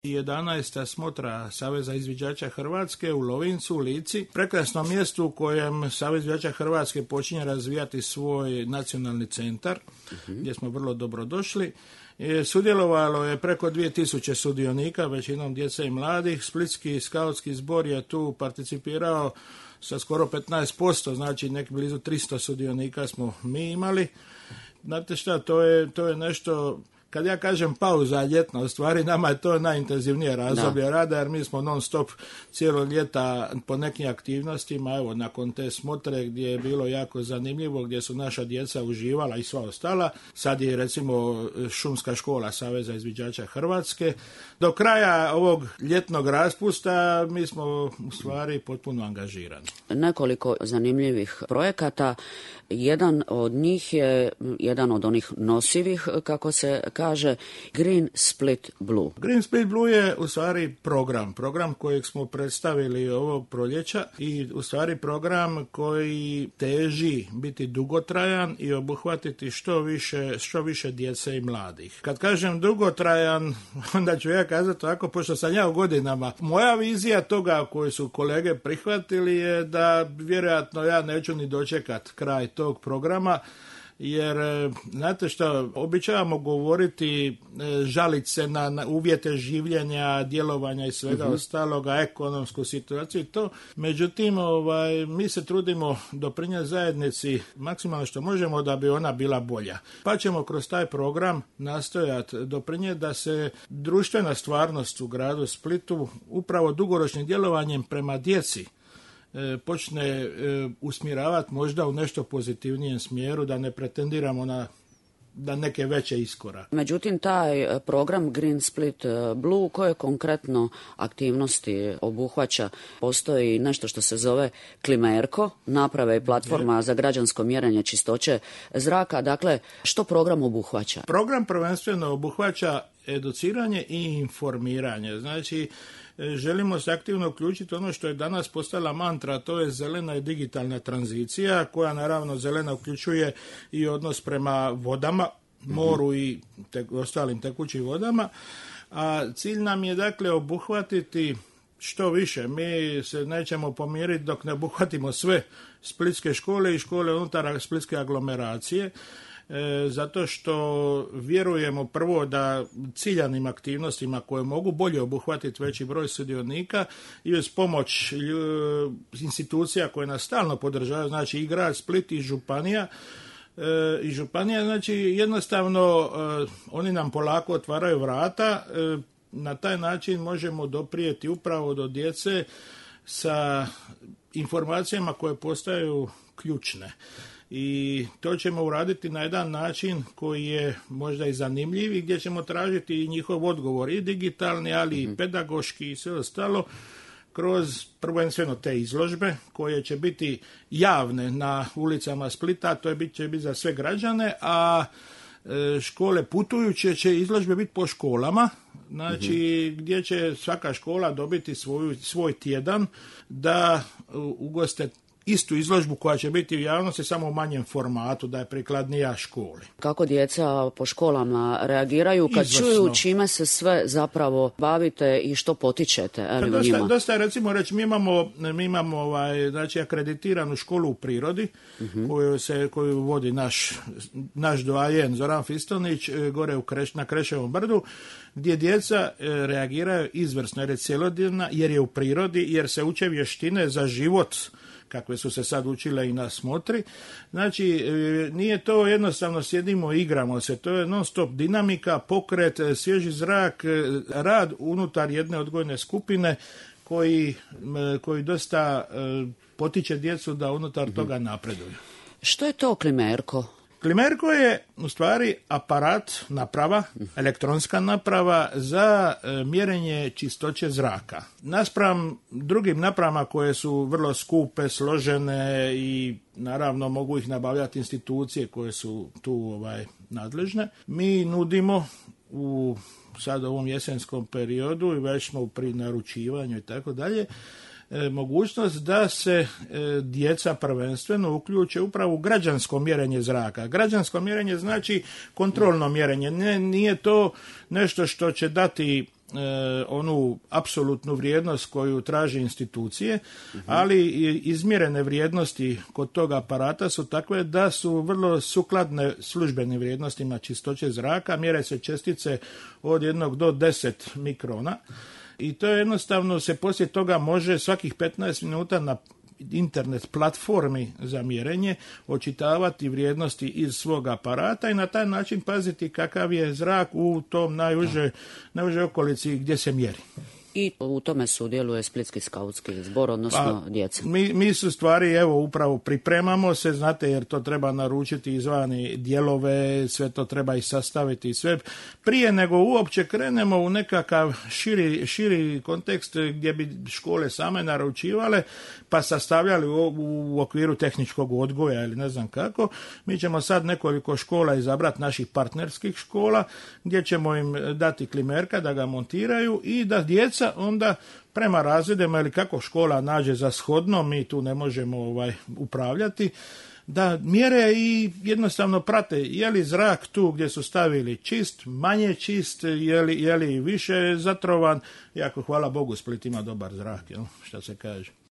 11. smotra Saveza izviđača Hrvatske u Lovincu, u Lici, prekrasnom mjestu u kojem Savez izviđača Hrvatske počinje razvijati svoj nacionalni centar, gdje smo vrlo dobro došli. Sudjelovalo je preko 2000 sudionika, većinom djece i mladih. Splitski skautski zbor je tu participirao sa skoro 15%, znači nek blizu 300 sudionika smo mi imali. Znate šta, to je nešto, kad ja kažem pauza ljetna, u stvari nama je to najintenzivnije razdoblje rada, jer mi smo non stop cijelo ljeta po nekim aktivnostima, evo nakon te smotre gdje je bilo jako zanimljivo, gdje su naša djeca uživala i sva ostala. Sad je recimo šumska škola Saveza izviđača Hrvatske. Do kraja ovog ljetnog raspusta mi smo u stvari potpuno angažirani. Nekoliko zanimljivih projekata. Jedan od njih je jedan od onih nosivih, kako se kaže, Green Split Blue. Green Split Blue je u stvari program kojeg smo predstavili ovog proljeća i u stvari program koji teži biti dugotrajan i obuhvatiti što više djece i mladih. Kad kažem dugotrajan, onda ću ja kazati tako, pošto sam ja u godinama. Moja vizija toga koju su kolege prihvatili je da vjerojatno ja neću ni dočekat kraj tog programa, jer znate što, običavamo govoriti, žaliti se na uvjete življenja, djelovanja i svega ostaloga, ekonomsku situaciju i to. Međutim, mi se trudimo doprinijeti zajednici maksimalno što možemo da bi ona bila bolja. Pa ćemo kroz taj program nastojati doprinijeti da se društvena stvarnost u gradu Splitu upravo dugoročnim djelovanjem prema djeci počne usmjeravati možda u nešto pozitivnijem smjeru, da ne pretendiramo na neke veće iskorake. Međutim, taj program Green Split Blue, koje konkretno aktivnosti obuhvaća? Postoji nešto što se zove Klimerko, naprave i platforma za građansko mjerenje čistoće zraka. Dakle, što program obuhvaća? Program prvenstveno obuhvaća educiranje i informiranje. Znači, želimo se aktivno uključiti ono što je danas postala mantra, to je zelena i digitalna tranzicija, koja naravno zelena uključuje i odnos prema vodama, moru i ostalim tekućim vodama, a cilj nam je dakle obuhvatiti što više. Mi se nećemo pomiriti dok ne obuhvatimo sve splitske škole i škole unutar splitske aglomeracije, zato što vjerujemo prvo da ciljanim aktivnostima koje mogu bolje obuhvatiti veći broj sudionika i uz pomoć institucija koje nas stalno podržavaju, znači i grad Split i županija, znači jednostavno oni nam polako otvaraju vrata, na taj način možemo doprijeti upravo do djece sa informacijama koje postaju ključne. I to ćemo uraditi na jedan način koji je možda i zanimljiv i gdje ćemo tražiti i njihov odgovor i digitalni, ali i pedagoški i sve ostalo kroz prvenstveno te izložbe koje će biti javne na ulicama Splita, to će biti za sve građane, a škole putujuće će izložbe biti po školama, znači gdje će svaka škola dobiti svoj tjedan da ugoste istu izložbu koja će biti u javnosti, samo u manjem formatu, da je prikladnija školi. Kako djeca po školama reagiraju kad čuju čime se sve zapravo bavite i što potičete u njima? Dosta je, recimo reći, mi imamo znači akreditiranu školu u prirodi, koju vodi naš doajen Zoran Fistonić gore na Kreševom brdu, gdje djeca reagiraju izvrsno, jer je cjelodnevna, jer je u prirodi, jer se uče vještine za život, kakve su se sad učile i na smotri. Znači, nije to jednostavno sjedimo i igramo se, to je non stop dinamika, pokret, svježi zrak, rad unutar jedne odgojne skupine koji dosta potiče djecu da unutar toga napreduju. Što je to Klimerko? Klimerko je u stvari aparat, naprava, elektronska naprava za mjerenje čistoće zraka. Naspram drugim napravama koje su vrlo skupe, složene i naravno mogu ih nabavljati institucije koje su tu nadležne, mi nudimo u sad ovom jesenskom periodu i već smo pri naručivanju i tako dalje, mogućnost da se djeca prvenstveno uključe upravo u građansko mjerenje zraka. Građansko mjerenje znači kontrolno mjerenje. Nije to nešto što će dati onu apsolutnu vrijednost koju traže institucije, ali izmjerene vrijednosti kod tog aparata su takve da su vrlo sukladne službenim vrijednostima čistoće zraka, mjere se čestice od 1 do 10 mikrona i to jednostavno se poslije toga može svakih 15 minuta na internet platformi za mjerenje očitavati vrijednosti iz svog aparata i na taj način paziti kakav je zrak u tom najuže okolici gdje se mjeri. I u tome sudjeluje Splitski skautski zbor, odnosno djeca. Mi su stvari, evo, upravo pripremamo se, znate, jer to treba naručiti izvani dijelove, sve to treba i sastaviti i sve. Prije nego uopće krenemo u nekakav širi kontekst gdje bi škole same naručivale, pa sastavljali u okviru tehničkog odgoja ili ne znam kako. Mi ćemo sad nekoliko škola izabrati, naših partnerskih škola, gdje ćemo im dati klimerka da ga montiraju i da djeca onda prema razredima ili kako škola nađe za shodno, mi tu ne možemo upravljati, da mjere i jednostavno prate je li zrak tu gdje su stavili čist, manje čist, je li više zatrovan. Jako hvala Bogu, Split ima dobar zrak, šta se kaže.